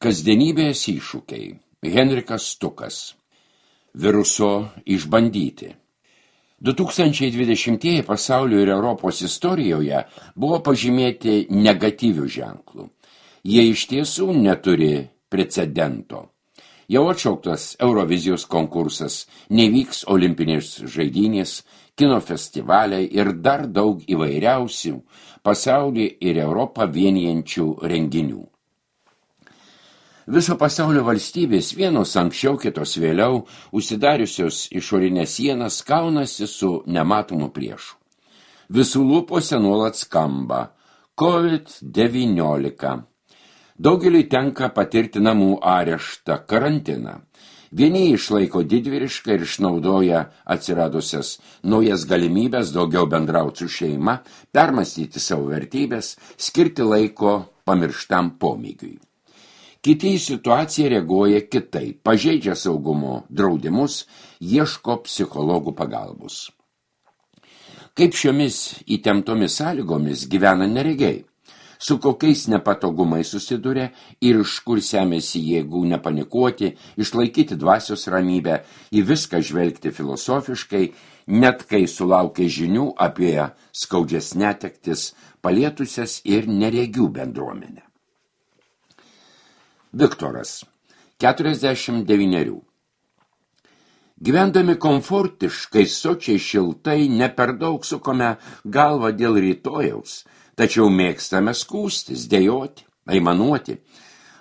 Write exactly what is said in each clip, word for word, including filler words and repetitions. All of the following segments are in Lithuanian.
Kasdienybės iššūkiai. Henrikas Stukas. Viruso išbandyti. du tūkstančiai dvidešimtieji pasaulio ir Europos istorijoje buvo pažymėti negatyvių ženklų. Jie iš tiesų neturi precedento. Jau atšauktas Eurovizijos konkursas, nevyks olimpinės žaidynės, kino festivaliai ir dar daug įvairiausių pasaulį ir Europą vienijančių renginių. Viso pasaulio valstybės vienos anksčiau, kitos vėliau, užsidariusios išorinės sienas kaunasi su nematomu priešu. Visų lūpose nuolat skamba COVID devyniolika. Daugeliui tenka patirti namų areštą, karantiną. Vieni išlaiko didvyrišką ir išnaudoja atsiradusias naujas galimybės daugiau bendrauti su šeima, permąstyti savo vertybės, skirti laiko pamirštam pomėgiui. Kiti į situaciją reaguoja kitaip, pažeidžia saugumo draudimus, ieško psichologų pagalbos. Kaip šiomis įtemptomis sąlygomis gyvena neregiai, su kokiais nepatogumais susiduria ir iš kur semėsi jėgų nepanikuoti, išlaikyti dvasios ramybę, į viską žvelgti filosofiškai, net kai sulaukia žinių apie skaudžias netektis, palietusias ir neregių bendruomenę. Viktoras, keturiasdešimt devynerių. Gyvendami komfortiškai, sočiai šiltai, ne per daug sukome galvą dėl rytojaus, tačiau mėgstame skųstis, dejoti, aimanuoti.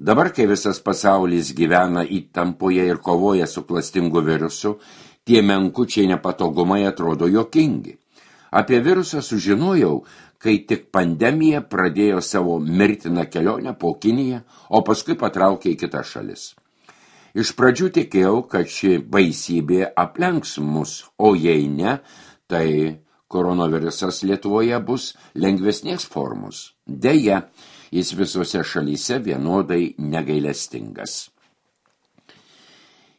Dabar, kai visas pasaulis gyvena įtampoje ir kovoja su klastingu virusu, tie menkučiai nepatogumai atrodo juokingi. Apie virusą sužinojau, kai tik pandemija pradėjo savo mirtiną kelionę po Kiniją, o paskui patraukė į kitas šalis. Iš pradžių tikėjau, kad ši baisybė aplenks mus, o jei ne, tai koronavirusas Lietuvoje bus lengvesnės formos. Deja, jis visose šalyse vienodai negailestingas.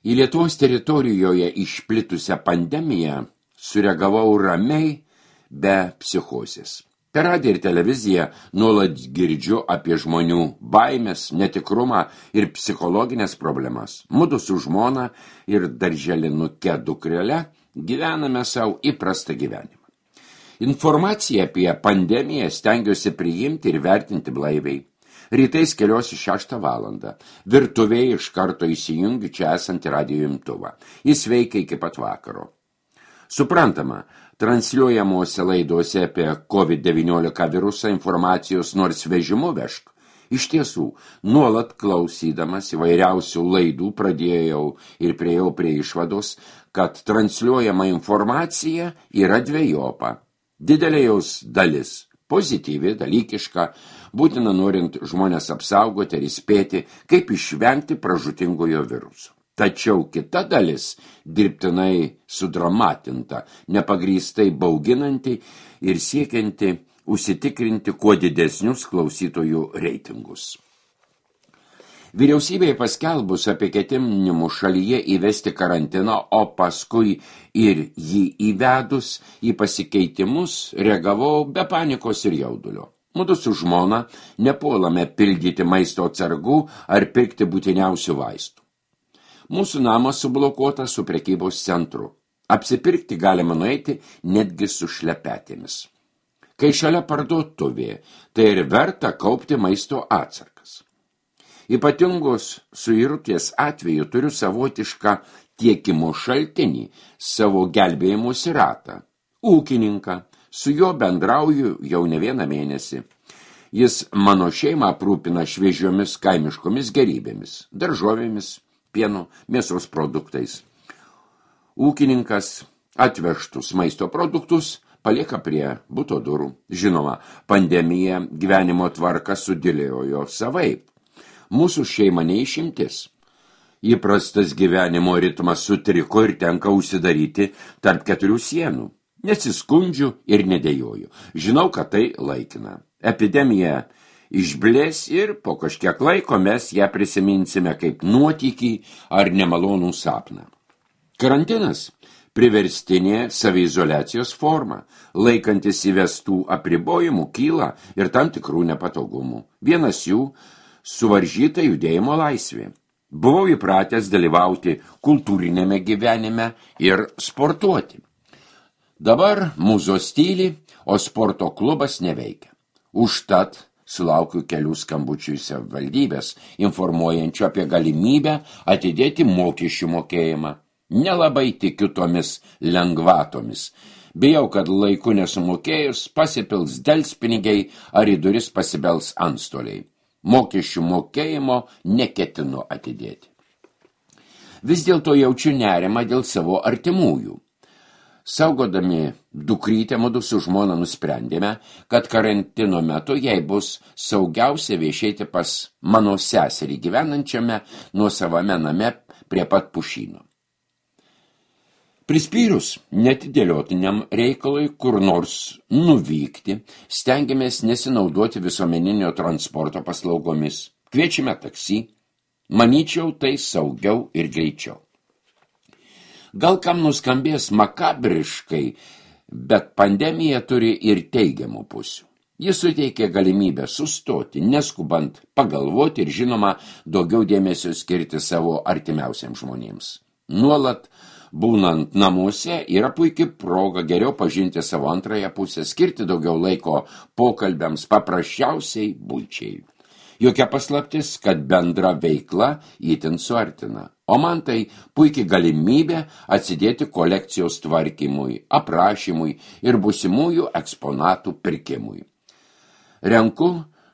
Į Lietuvos teritorijoje išplitusią pandemiją sureagavau ramiai, be psichozės. Per radiją ir televiziją nuolat girdžiu apie žmonių baimės, netikrumą ir psichologinės problemas. Mudu su žmona ir darželinuke dukrele gyvename savo įprastą gyvenimą. Informaciją apie pandemiją stengiuosi priimti ir vertinti blaiviai. Rytais keliuosi šeštą valandą. Virtuvėje iš karto įsijungiu čia esantį radijo imtuvą. Jis veikia iki pat vakaro. Suprantama, transliuojamuose laiduose apie COVID devyniolika virusą informacijos nors vežimu vežk. Iš tiesų, nuolat klausydamas įvairiausių laidų pradėjau ir priejau prie išvados, kad transliuojama informacija yra dvejopa. Didelė jos dalis, pozityvi, dalykiška, būtina norint žmonės apsaugoti ir įspėti, kaip išvengti pražūtingojo viruso. Tačiau kita dalis dirbtinai sudramatinta, nepagrįstai bauginanti ir siekianti užsitikrinti kuo didesnius klausytojų reitingus. Vyriausybėje paskelbus apie ketinimus šalyje įvesti karantiną, o paskui ir jį įvedus į pasikeitimus, reagavau be panikos ir jaudulio. Mudu su žmona nepuolame pildyti maisto atsargų ar pirkti būtiniausių vaistų. Mūsų namas sublokuotas su prekybos centru. Apsipirkti galima nueiti netgi su šlepetėmis. Kai šalia parduotuvė, tai ir verta kaupti maisto atsargas. Ypatingos suirutės atveju turiu savotišką tiekimo šaltinį, savo gelbėjimosi ratą. Ūkininką, su juo bendrauju jau ne vieną mėnesį. Jis mano šeimą aprūpina šviežiomis kaimiškomis gerybėmis, daržovėmis, pieno, mėsos produktais. Ūkininkas atvežtus maisto produktus palieka prie buto durų. Žinoma, pandemija gyvenimo tvarką sudėliojo savaip. Mūsų šeima neišimtis. Įprastas gyvenimo ritmas sutriko ir tenka užsidaryti tarp keturių sienų. Nesiskundžiu ir nedėjoju. Žinau, kad tai laikina. Epidemija išblės ir po kažkiek laiko mes ją prisiminsime kaip nuotykį ar nemalonų sapną. Karantinas – priverstinė saviizoliacijos forma, laikantis įvestų apribojimų kyla ir tam tikrų nepatogumų. Vienas jų suvaržyta judėjimo laisvė. Buvau įpratęs dalyvauti kultūrinėme gyvenime ir sportuoti. Dabar mūzos tyli, o sporto klubas neveikia. Užtat sulaukiu kelių skambučių į savivaldybės, informuojančių apie galimybę atidėti mokesčių mokėjimą. Nelabai tikiu tomis lengvatomis. Bijau, kad laiku nesumokėjus pasipils delspinigiai ar į duris pasibels antstoliai. Mokesčių mokėjimo neketinu atidėti. Vis dėlto jaučiu nerimą dėl savo artimųjų. Saugodami dukrytę mudu su žmona nusprendėme, kad karantino metu jai bus saugiausia viešėti pas mano seserį gyvenančiame nuosavame name prie pat pušyno. Prispyrus netidėliotiniam reikalui kur nors nuvykti, stengiamės nesinaudoti visuomeninio transporto paslaugomis. Kviečiame taksi, manyčiau tai saugiau ir greičiau. Gal kam nuskambės makabriškai, bet pandemija turi ir teigiamų pusių. Jis suteikia galimybę sustoti, neskubant pagalvoti ir žinoma daugiau dėmesio skirti savo artimiausiams žmonėms. Nuolat būnant namuose yra puikia proga geriau pažinti savo antrąją pusę, skirti daugiau laiko pokalbiams, paprasčiausiai buičiai. Jokia paslaptis, kad bendra veikla itin suartina, o man tai puikiai galimybė atsidėti kolekcijos tvarkymui, aprašymui ir būsimųjų eksponatų pirkimui. Renku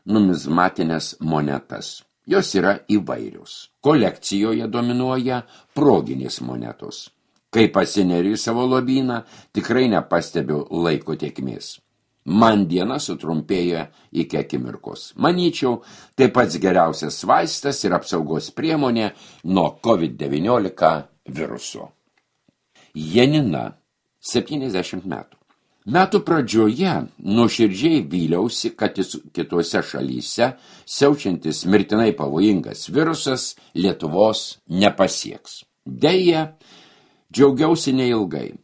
numizmatinės monetas. Jos yra įvairios. Kolekcijoje dominuoja proginės monetos. Kai pasineriu į savo lobyną, tikrai nepastebiu laiko tėkmės. Man diena sutrumpėja iki akimirkos. Manyčiau, tai pats geriausias vaistas ir apsaugos priemonė nuo kovid devyniolika viruso. Janina, septyniasdešimt metų. Metų pradžioje nuoširdžiai vyliausi, kad kitose šalyse siaučiantis mirtinai pavojingas virusas Lietuvos nepasieks. Deja, džiaugiausi neilgai.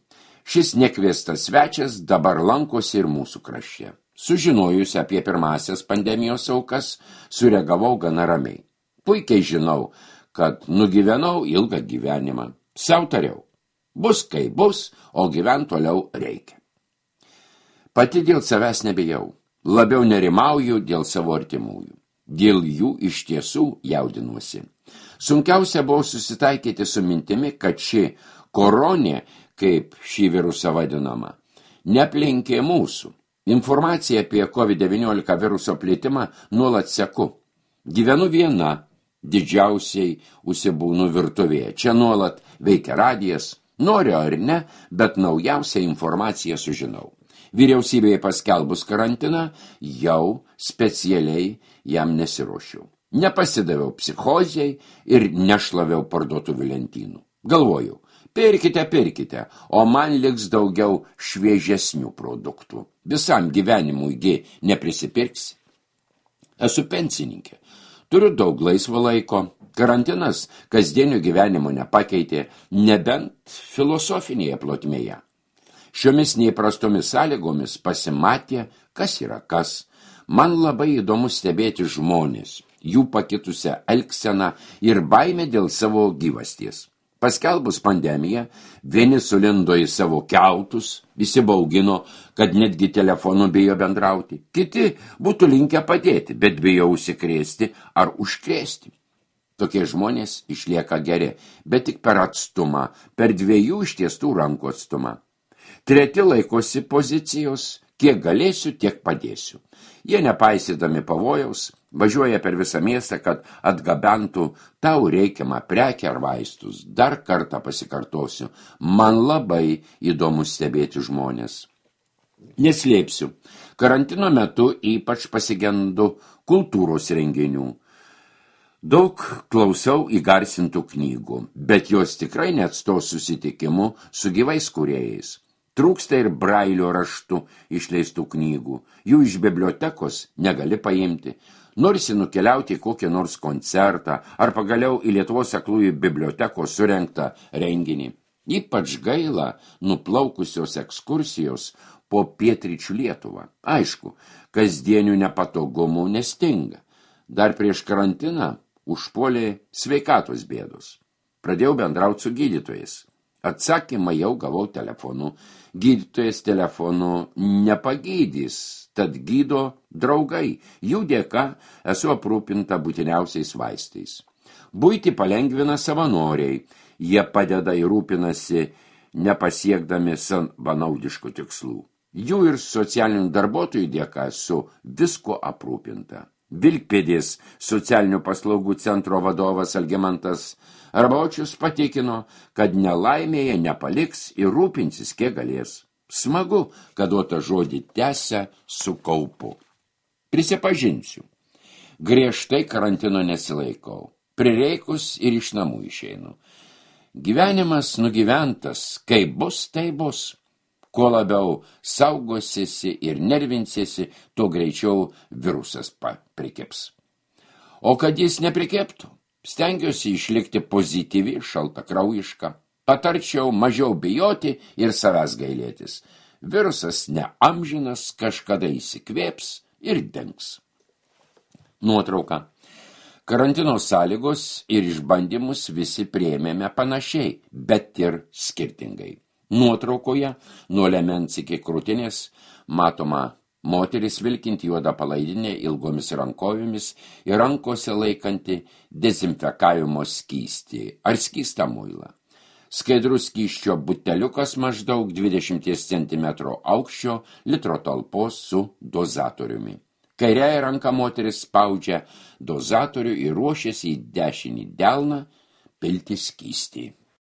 Šis nekviestas svečias dabar lankosi ir mūsų krašte. Sužinojusi apie pirmasias pandemijos aukas, sureagavau gana ramiai. Puikiai žinau, kad nugyvenau ilgą gyvenimą. Sau tariau, bus kaip bus, o gyvent toliau reikia. Pati dėl savęs nebijau, labiau nerimauju dėl savo artimųjų. Dėl jų iš tiesų jaudinuosi. Sunkiausia buvo susitaikyti su mintimi, kad ši koronė, kaip šį virusą vadinama, neaplenkė mūsų. Informaciją apie kovid devyniolika viruso plitimą nuolat seku. Gyvenu viena, didžiausiai užsibūnu virtuvėje. Čia nuolat veikia radijas, noriu ar ne, bet naujausią informaciją sužinau. Vyriausybėje paskelbus karantiną, jau specialiai jam nesiruošiau. Nepasidaviau psichozijai ir nešlaviau parduotuvių lentynų. Galvojau, pirkite, pirkite, o man liks daugiau šviežesnių produktų. Visam gyvenimui neprisipirksi. Esu pensininkė. Turiu daug laisvo laiko. Karantinas kasdienio gyvenimo nepakeitė, nebent filosofinėje plotmėje. Šiomis neįprastomis sąlygomis pasimatė, kas yra kas. Man labai įdomu stebėti žmonės, jų pakitusią elgseną ir baimę dėl savo gyvasties. Paskelbus pandemiją, vieni sulindo į savo kiautus, visi baugino, kad netgi telefonu bijo bendrauti. Kiti būtų linkę padėti, bet bijo užsikrėsti ar užkrėsti. Tokie žmonės išlieka geri, bet tik per atstumą, per dviejų ištiestų rankų atstumą. Treti laikosi pozicijos, kiek galėsiu, tiek padėsiu. Jie nepaisydami pavojaus, važiuoja per visą miestą, kad atgabentų tau reikiamą prekę ar vaistus. Dar kartą pasikartosiu, man labai įdomu stebėti žmonės. Neslėpsiu, karantino metu ypač pasigendu kultūros renginių. Daug klausau įgarsintų knygų, bet jos tikrai neatstos susitikimu su gyvais kūrėjais. Trūksta ir brailio raštų išleistų knygų. Jų iš bibliotekos negali paimti. Norisi nukeliauti į kokį nors koncertą ar pagaliau į Lietuvos aklųjų bibliotekos surengtą renginį. Ypač gaila nuplaukusios ekskursijos po pietryčių Lietuvą. Aišku, kasdienių nepatogumų nestinga. Dar prieš karantiną užpuolė sveikatos bėdos. Pradėjau bendrauti su gydytojais. Atsakymą jau gavau telefonu. Gydytojas telefonu nepagydys, tad gydo draugai. Jų dėka esu aprūpinta būtiniausiais vaistais. Buitį palengvina savanoriai. Jie padeda ir rūpinasi nepasiekdami savanaudiškų tikslų. Jų ir socialinių darbuotojų dėka esu visko aprūpinta. Vilkpėdės socialinių paslaugų centro vadovas Algimantas Arbačius patikino, kad nelaimėje nepaliks ir rūpinsis kiek galės. Smagu, kad duotą žodį tęsia su kaupu. Prisipažinsiu, griežtai karantino nesilaikau. Prireikus ir iš namų išeinu. Gyvenimas nugyventas, kaip bus, tai bus. Kuo labiau saugosiesi ir nervinsiesi, tuo greičiau virusas prikeps. O kad jis neprikeptų, stengiuosi išlikti pozityvi, šaltakraujiška. Patarčiau mažiau bijoti ir savęs gailėtis. Virusas neamžinas, kažkada įsikvėps ir dengs. Nuotrauka. Karantino sąlygos ir išbandymus visi priėmėme panašiai, bet ir skirtingai. Nuotraukoje nuo liemens iki krūtinės matoma moteris vilkinti juodą palaidinę ilgomis rankovėmis ir rankose laikanti dezinfekavimo skystį ar skystą muilą. Skaidrus skysčio buteliukas maždaug dvidešimt centimetrų aukščio litro talpos su dozatoriumi. Kairiąja ranka moteris spaudžia dozatorių ir ruošiasi į dešinį delną pilti skystį.